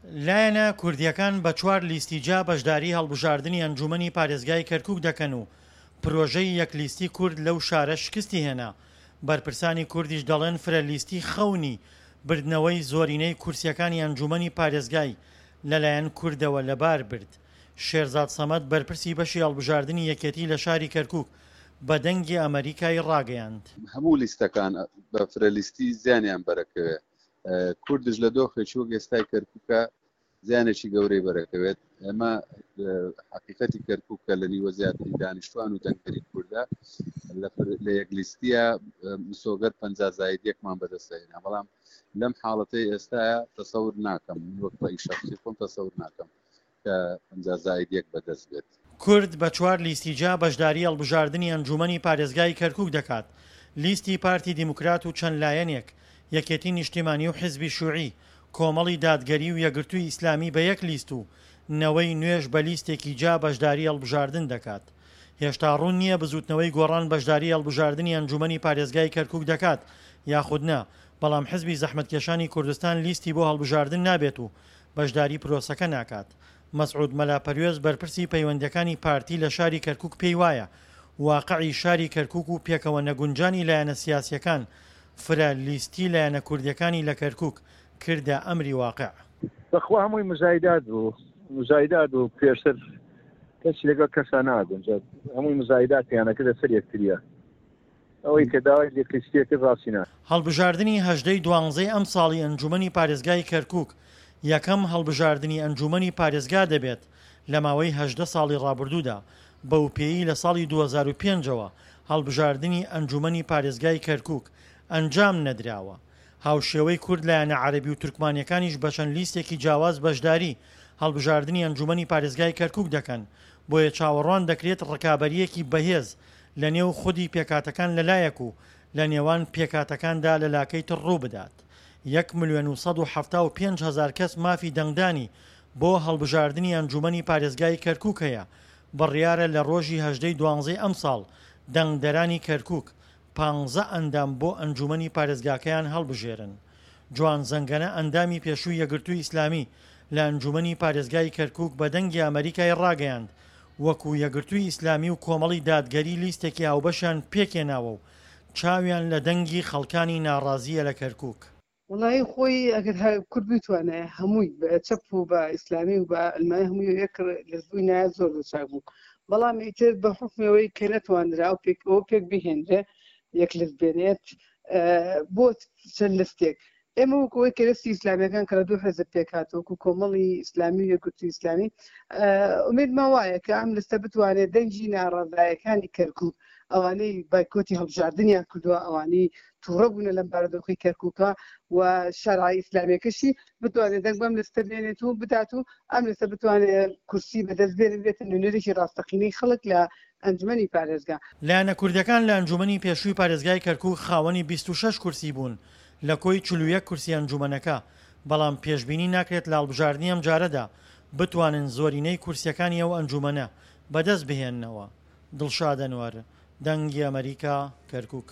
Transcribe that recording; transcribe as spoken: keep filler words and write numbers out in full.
لایەنە کوردییەکان بە چوار لیستی جیا بەشداری هەڵبژاردنی ئەنجوومەنی پارێزگای کەرکووک دەکەن و پرۆژەی یەک لیستی کورد لەو شارە شکستی هێنا، بەرپرسانی کوردیش دەڵێن فرە لیستی خەونی بردنەوەی زۆرینەی کورسییەکانی ئەنجوومەنی پارێزگای لەلایەن کوردەوە لەبار برد. شێرزاد سەمەد بەرپرسی بەشی هەڵبژاردنی یەکێتی لە شاری کەرکووک بە دەنگی ئەمەریکای ڕاگەیاند. هەموو لیستەکان بە فرە لیستی زیانیان بەرەکەوێ، کوردش لە دۆخێکی وەک ئێستای کەرکووکە زیانێکی گەورەی بەرەکەوێت. ئێمە حقیقەتی کەرکووک کە لە نیوە زیاتری دانیشتوان و دەنگدەری کوردە لە یەک لیستیە مسۆگەر پەنجا زاید یەکمان بەدەستهێنا، بەڵام لەم حاڵەتەی ئێستاە تەسەور ناکەم، من وەک ڕەئی شەخسی خۆم تەسەور ناکەم کە پەنجا زاید یەک بەدەست بێت. کورد بە چوار لیستی جیا بەشداری هەڵبژاردنی ئەنجوومەنی پارێزگای کەرکووک دەکات، لیستی پارتی دیموکرات و چەند لایەنێک، یەکێتی نیشتیمانی و حزبی شوعی، کۆمەڵی دادگەری و یەکگرتووی ئیسلامی بە یەک لیست و نەوەی نوێش بە لیستێکی جیا بەشداری هەڵبژاردن دەکات. هێشتا ڕوون نییە بزووتنەوەی گۆڕان بەشداری هەڵبژاردنی ئەنجوومەنی پارێزگای کەرکووک دەکات یاخود نا، بەڵام حزبی زەحمەتکێشانی کوردستان لیستی بۆ هەڵبژاردن نابێت و بەشداری پرۆسەکە ناکات. مەسعود مەلا پەروێز بەرپرسی پەیوەندییەکانی پارتی لە شاری کەرکووک پێی وایە واقعی شاری کەرکووک و پێکەوە نەگونجانی لایەنە سیاسییەکان فرە لیستی لایەنە کوردییەکانی لە کەرکووک کردە ئەمری واقع. بەخوا هەمووی مزایدات بوو، مزایدات بوو، پێشتر کەسی لەگەڵ کەسا ناگونجا، هەمووی مزایداتیان ئەکردە سەر یەکتریە، ئەوەی کە داوای یەکلیستیە کرد ڕاستی نا. هەڵبژاردنی هەژدەی دوانزەی ئەمساڵی ئەنجوومەنی پارێزگای کەرکووک یەکەم هەڵبژاردنی ئەنجوومەنی پارێزگا دەبێت لە ماوەی هەژدە ساڵی ڕابردوودا، بەوپێیەی لە ساڵی دوو هەزار و پێنج ەوە هەڵبژاردنی ئەنجوومەنی پارێزگای کەرکووک ئەنجام نەدراوە. هاوشێوەی کورد لایەنە عەرەبی و تورکمانیەکانیش بەچەند لیستێکی جیاواز بەشداری هەڵبژاردنی ئەنجوومەنی پارێزگای کەرکووک دەکەن، بۆیە چاوەڕوان دەکرێت ڕکابەرییەکی بەهێز لەنێو خودی پێکهاتەکان لەلایەک و لەنێوان پێکهاتەکاندا لەلاکەی تر ڕووبدات. یەک ملیۆن و سەد و حەفتا و پێنج هەزار کەس مافی دەنگدانی بۆ هەڵبژاردنی ئەنجوومەنی پارێزگای کەرکووک هەیە، بڕیارە لە ڕۆژی هەژدە ی دوانزەی ئەمساڵ دەنگدەرانی کەرکووک پانزە ئەندام بۆ ئەنجوومەنی پارێزگاکەیان هەڵبژێرن. جوان زەنگەنە ئەندامی پێشووی یەکگرتووی ئیسلامی لە ئەنجوومەنی پارێزگای کەرکووک بە دەنگی ئەمەریکای ڕاگەیاند، وەکو یەکگرتووی ئیسلامی و کۆمەڵی دادگەری لیستێکی هاوبەشیان پێکهێناوە و چاویان لە دەنگی خەڵکانی ناڕازییە لە کەرکووک. وەڵایی خۆی ئەگەر کورد بتوانایە هەمووی بە چەپ و بە ئیسلامی و بە عەلمانی هەمووی یەک لەزبووی نایە زۆر زۆر چاک بوو، بەڵام ئیتر بە حوکمەوەی کە نەتواندرا ئەو پێک ئەوە پێک بهێنرێ یەک لست بێنێت بۆ چەند لستێک. ئێمە وەکو ئەوەی کە لستی ئیسلامیەکان کە لە دوو حزب پێک هاتووە، وەکو کۆمەڵی ئیسلامی و یەکگرتووی ئیسلامی، ئومێدمان وایە کە ئەم لستە بتوانێت دەنگی ناڕەزایەکانی کەرکووک، ئەوانەی بایکۆتی هەڵبژاردنیان کردووە، ئەوانەی تووڕە بوونە لەم بارودۆخی کەرکووکە و شارع ئیسلامیەکەشی بتوانێت دەنگ بەم لستە بێنێت و بدات و ئەم لستە بتوانێت کورسی بەدەست بێنێت، بێتە نوێنەرێکی ڕاستەقینەی خەڵک لە ئەنجومەنی پارێزگا. لایەنە کوردیەکان لە ئەنجومەنی پێشووی پارێزگای کەرکووک خاوەنی بیست و شەش کورسی بوون لە کۆی چل و یەک کورسی ئەنجومەنەکە، بەڵام پێشبینی ناکرێت لە هەڵبژاردنی ئەمجارەدا بتوانن زۆرینەی کورسیەکانی ئەو ئەنجومەنە بەدەست بهێننەوە. دڵشاد ئەنوەر، دەنگی ئەمەریکا، کەرکوک.